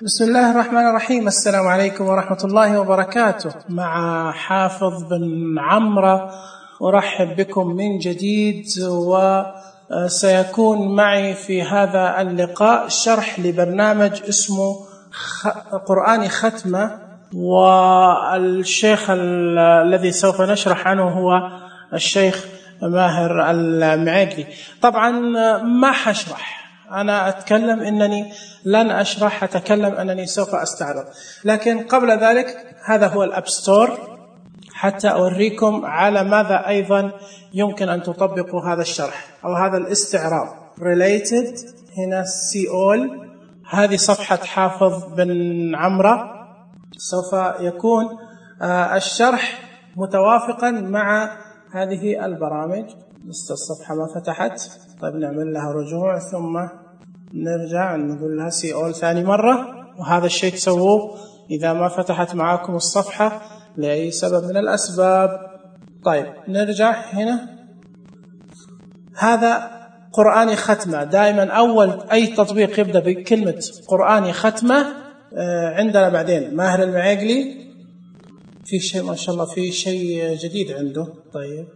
بسم الله الرحمن الرحيم. السلام عليكم ورحمة الله وبركاته. مع حافظ بن عمرو، أرحب بكم من جديد، وسيكون معي في هذا اللقاء شرح لبرنامج اسمه قرآني ختمة، والشيخ الذي سوف نشرح عنه هو الشيخ ماهر المعيقلي. طبعا ما حشرح، أنا أتكلم إنني لن أشرح، أتكلم أنني سوف أستعرض. لكن قبل ذلك هذا هو الأب ستور حتى أوريكم على ماذا أيضا يمكن أن تطبقوا هذا الشرح أو هذا الاستعراض. related هنا سيول، هذه صفحة حافظ بن عمرو. سوف يكون الشرح متوافقا مع هذه البرامج. لسه الصفحة ما فتحت، طيب نعمل لها رجوع ثم نرجع نقول لها سي اول ثاني مرة. وهذا الشيء تسووه إذا ما فتحت معاكم الصفحة لأي سبب من الأسباب. طيب نرجع هنا، هذا قرآني ختمة. دائما أول أي تطبيق يبدأ بكلمة قرآني ختمة عندنا. بعدين ماهر المعيقلي، في شيء ما شاء الله، في شيء جديد عنده. طيب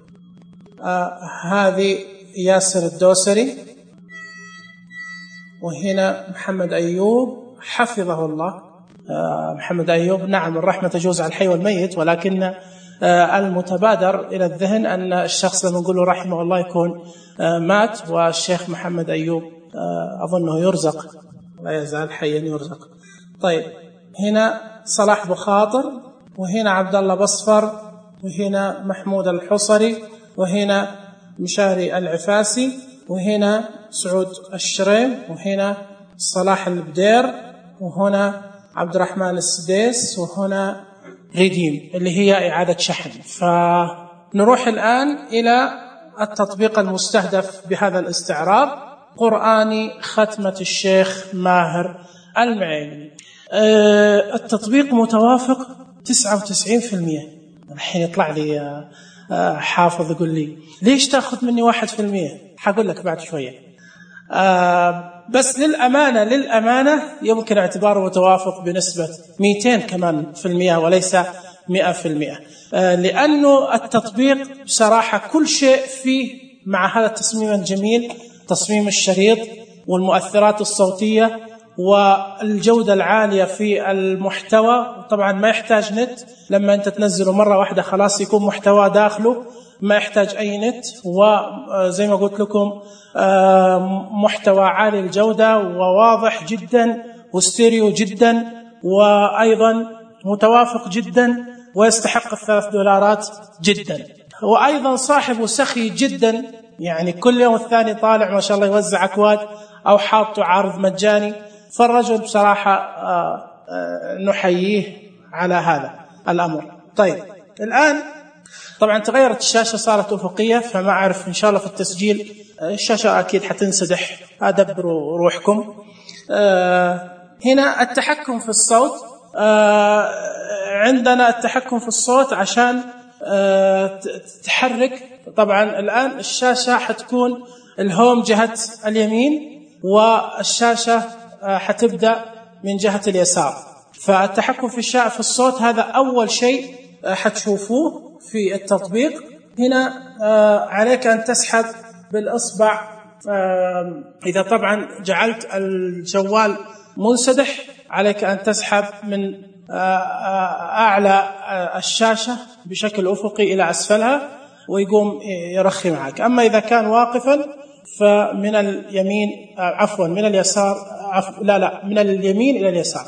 هذه ياسر الدوسري، وهنا محمد أيوب حفظه الله. محمد أيوب، نعم الرحمة تجوز على الحي والميت، ولكن المتبادر إلى الذهن أن الشخص لما نقول له رحمه الله يكون مات، والشيخ محمد أيوب أظنه يرزق، لا يزال حيا يرزق. طيب هنا صلاح بخاطر، وهنا عبد الله بصفر، وهنا محمود الحصري، وهنا مشاري العفاسي، وهنا سعود الشريم، وهنا صلاح البدير، وهنا عبد الرحمن السديس، وهنا ريديم اللي هي إعادة شحن. فنروح الآن إلى التطبيق المستهدف بهذا الاستعراض، قرآني ختمة الشيخ ماهر المعيقلي. التطبيق متوافق 99%. الحين يطلع لي حافظ يقول لي ليش تأخذ مني 1%؟ حقول لك بعد شوية. بس للأمانة يمكن اعتباره متوافق بنسبة 200 كمان في المئة وليس 100%، لأنه التطبيق بصراحة كل شيء فيه مع هذا التصميم الجميل، تصميم الشريط والمؤثرات الصوتية والجودة العالية في المحتوى. طبعا ما يحتاج نت، لما أنت تنزله مرة واحدة خلاص يكون محتوى داخله، ما يحتاج أي نت. وزي ما قلت لكم محتوى عالي الجودة وواضح جدا وستيريو جدا، وأيضا متوافق جدا ويستحق $3 جدا. وأيضا صاحبه سخي جدا، يعني كل يوم الثاني طالع ما شاء الله يوزع أكواد أو حاطه عرض مجاني. فالرجل بصراحة نحييه على هذا الأمر. طيب الآن طبعا تغيرت الشاشة، صارت أفقية، فما أعرف إن شاء الله في التسجيل الشاشة أكيد حتنسدح، أدبروا روحكم. هنا التحكم في الصوت. عندنا التحكم في الصوت عشان تحرك. طبعا الآن الشاشة حتكون الهوم جهة اليمين، والشاشة حتبدأ من جهة اليسار. فالتحكم في الصوت هذا أول شيء حتشوفوه في التطبيق. هنا عليك أن تسحب بالإصبع. إذا طبعا جعلت الجوال منسدح عليك أن تسحب من أعلى الشاشة بشكل أفقي إلى أسفلها ويقوم يرخي معك. أما إذا كان واقفا فمن اليمين، من اليسار، من اليمين إلى اليسار.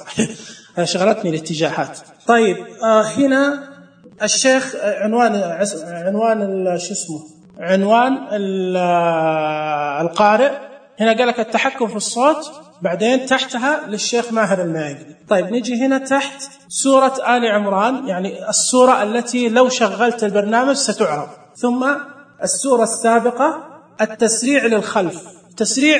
شغلتني الاتجاهات. طيب هنا الشيخ عنوان القارئ. هنا قال لك التحكم في الصوت، بعدين تحتها للشيخ ماهر المعيقلي. طيب نيجي هنا تحت سورة آل عمران، يعني السورة التي لو شغلت البرنامج ستعرض. ثم السورة السابقة، التسريع للخلف. تسريع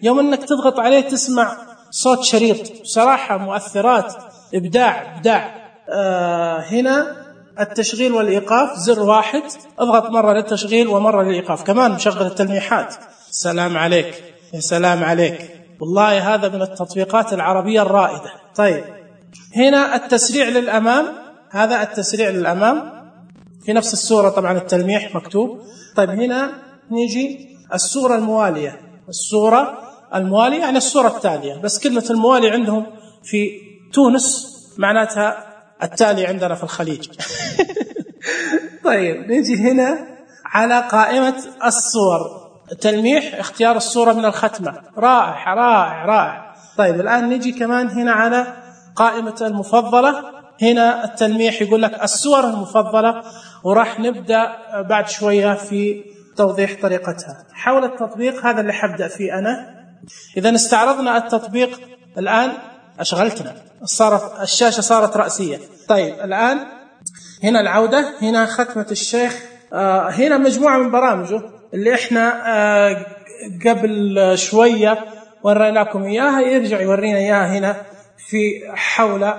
يوم أنك تضغط عليه تسمع صوت شريط، بصراحة مؤثرات إبداع. هنا التشغيل والإيقاف، زر واحد، اضغط مرة للتشغيل ومرة للإيقاف. كمان مشغل التلميحات. سلام عليك، يا سلام عليك. والله هذا من التطبيقات العربية الرائدة. طيب هنا التسريع للأمام، هذا التسريع للأمام في نفس السورة طبعا التلميح مكتوب. طيب هنا نيجي السورة الموالية، السورة الموالية يعني السورة التالية، بس كلمة الموالي عندهم في تونس معناتها التالي عندنا في الخليج. طيب نيجي هنا على قائمة الصور، تلميح اختيار الصورة من الختمة، رائع رائع رائع. طيب الآن نيجي كمان هنا على قائمة المفضلة، هنا التلميح يقول لك الصور المفضلة، وراح نبدأ بعد شوية في توضيح طريقتها. حول التطبيق هذا اللي حبدأ فيه أنا. إذا استعرضنا التطبيق الآن أشغلتنا، صارت الشاشة صارت رأسية. طيب الآن هنا العودة، هنا ختمة الشيخ، هنا مجموعة من برامجه اللي احنا قبل شوية وريناكم إياها، يرجع يورينا إياها هنا في حول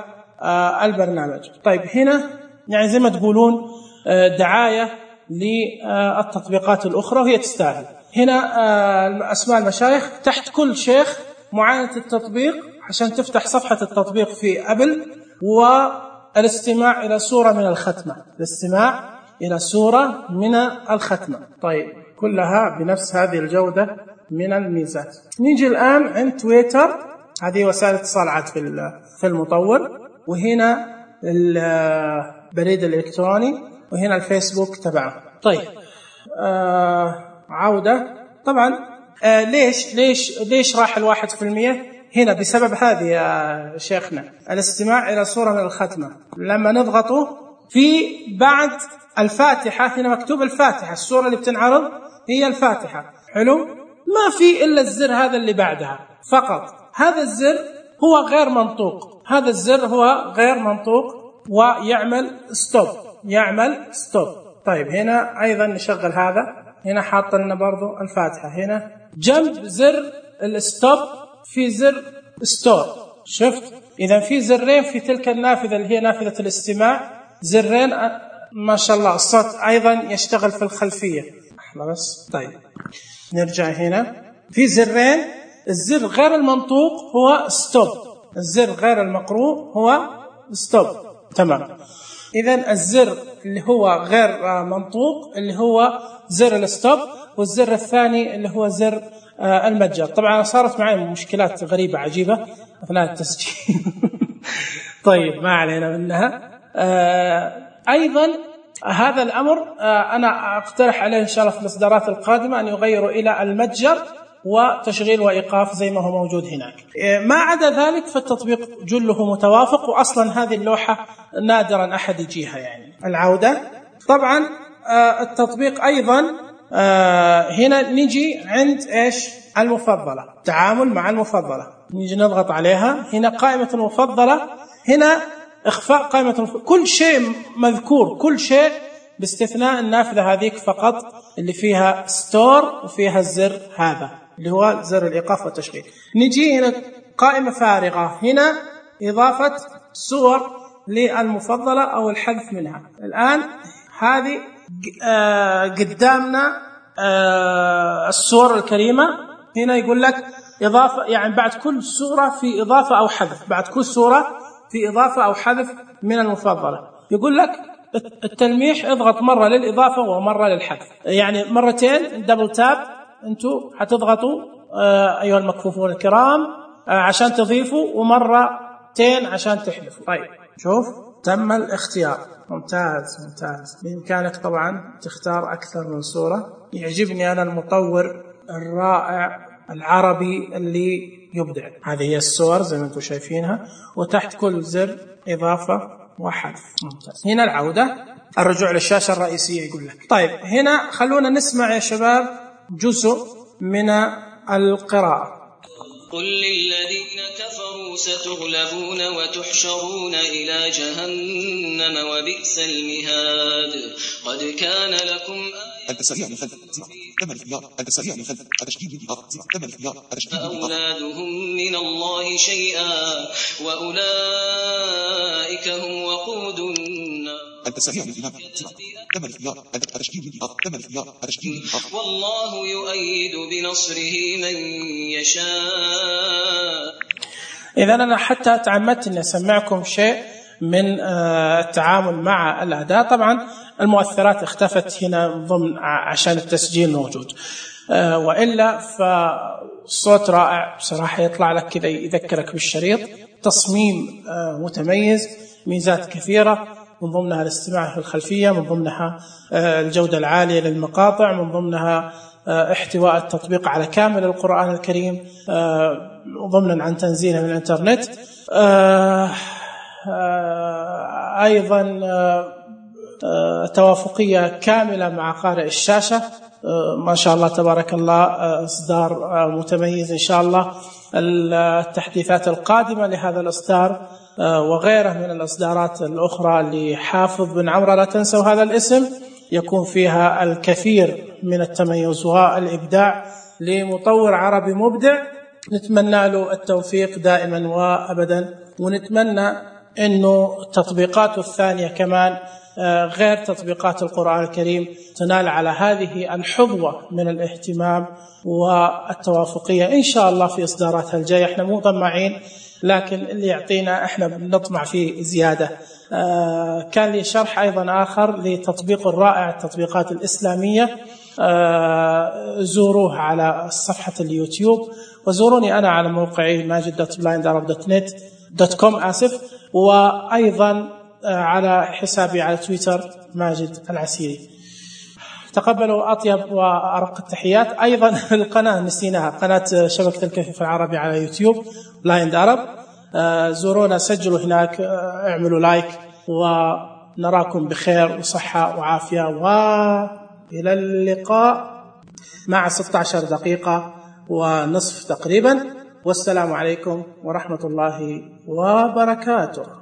البرنامج. طيب هنا يعني زي ما تقولون دعاية للتطبيقات الأخرى وهي تستاهل. هنا أسماء المشايخ، تحت كل شيخ معاينة التطبيق عشان تفتح صفحة التطبيق في أبل، والاستماع إلى سورة من الختمة، الاستماع إلى سورة من الختمة. طيب كلها بنفس هذه الجودة من الميزات. نيجي الآن عند تويتر، هذه وسائل اتصال في المطور، وهنا البريد الإلكتروني، وهنا الفيسبوك تبعه. طيب عودة طبعا ليش راح 1%؟ هنا بسبب هذه يا شيخنا، الاستماع إلى سورة من الختمة. لما نضغطه في بعد الفاتحة، هنا مكتوب الفاتحة، السورة اللي بتنعرض هي الفاتحة، حلو، ما في إلا الزر هذا اللي بعدها فقط. هذا الزر هو غير منطوق، هذا الزر هو غير منطوق ويعمل ستوب، يعمل ستوب. طيب هنا أيضا نشغل هذا، هنا حاط لنا برضو الفاتحة، هنا جنب زر الستوب في زر ستور، شفت؟ إذا في زرين في تلك النافذة اللي هي نافذة الاستماع، زرين ما شاء الله. الصوت أيضا يشتغل في الخلفية بس. طيب نرجع هنا في زرين، الزر غير المنطوق هو ستوب، الزر غير المقروء هو ستوب، تمام. إذن الزر اللي هو غير منطوق اللي هو زر الستوب، والزر الثاني اللي هو زر المتجر. طبعا صارت معي مشكلات غريبة عجيبة أثناء التسجيل. طيب ما علينا منها. أيضا هذا الأمر أنا أقترح عليه إن شاء الله في الإصدارات القادمة أن يغيروا إلى المتجر وتشغيل وإيقاف زي ما هو موجود هناك. ما عدا ذلك فالتطبيق جله متوافق، وأصلا هذه اللوحة نادرا أحد يجيها. يعني العودة طبعا التطبيق أيضا هنا نيجي عند إيش؟ المفضلة، تعامل مع المفضلة، نيجي نضغط عليها. هنا قائمة المفضلة، هنا إخفاء قائمة كل شيء مذكور، كل شيء باستثناء النافذة هذيك فقط اللي فيها ستور وفيها الزر هذا اللي هو زر الإيقاف والتشغيل. نجي هنا قائمة فارغة، هنا إضافة صور للمفضلة أو الحذف منها. الآن هذه قدامنا الصور الكريمة، هنا يقول لك إضافة، يعني بعد كل صورة في إضافة أو حذف، بعد كل صورة في إضافة أو حذف من المفضلة. يقول لك التلميح اضغط مرة للإضافة ومرة للحذف، يعني مرتين دبل تاب أنتوا حتضغطوا أيها المكفوفون الكرام عشان تضيفوا، ومرتين عشان تحذفوا. طيب شوف تم الاختيار، ممتاز ممتاز. بإمكانك طبعا تختار أكثر من صورة. يعجبني أنا المطور الرائع العربي اللي يبدع. هذه هي الصور زي ما انتم شايفينها، وتحت كل زر إضافة وحذف، ممتاز. هنا العودة، الرجوع للشاشة الرئيسية يقول لك. طيب هنا خلونا نسمع يا شباب جزء من القراءة. قل للذين كفروا ستغلبون وتحشرون إلى جهنم وبئس المهاد قد كان لكم أولادهم من الله شيئا وأولئك هم وقود النار والله يؤيد بنصره من يشاء. إذا أنا حتى تعمدت أن أسمعكم شيء من التعامل مع الأداء. طبعا المؤثرات اختفت هنا ضمن عشان التسجيل موجود، وإلا فصوت رائع بصراحة، يطلع لك كذا يذكرك بالشريط، تصميم متميز، ميزات كثيرة، من ضمنها الاستماع في الخلفية، من ضمنها الجودة العالية للمقاطع، من ضمنها احتواء التطبيق على كامل القرآن الكريم ضمنا عن تنزيله من الانترنت. أيضا توافقية كاملة مع قارئ الشاشة، ما شاء الله تبارك الله، إصدار متميز إن شاء الله. التحديثات القادمة لهذا الإصدار وغيره من الإصدارات الأخرى لحافظ بن عمرو، لا تنسوا هذا الاسم، يكون فيها الكثير من التميز والإبداع لمطور عربي مبدع. نتمنى له التوفيق دائما وأبدا، ونتمنى أنه تطبيقاته الثانية كمان غير تطبيقات القرآن الكريم تنال على هذه الحظوة من الاهتمام والتوافقية إن شاء الله في إصداراتها الجاية. احنا مو طماعين، لكن اللي يعطينا احنا بنطمع فيه زيادة. كان لي شرح أيضا آخر لتطبيق رائع، التطبيقات الإسلامية، زوروه على صفحة اليوتيوب، وزوروني أنا على موقعي majid.blindarab.net.com وأيضا على حسابي على تويتر ماجد العسيري. تقبلوا أطيب وأرق التحيات. أيضا القناة نسيناها، قناة شبكة الكفيف العربي على يوتيوب بلايند عرب، زورونا، سجلوا هناك، اعملوا لايك، ونراكم بخير وصحة وعافية، وإلى اللقاء مع 16 دقيقة ونصف تقريبا، والسلام عليكم ورحمة الله وبركاته.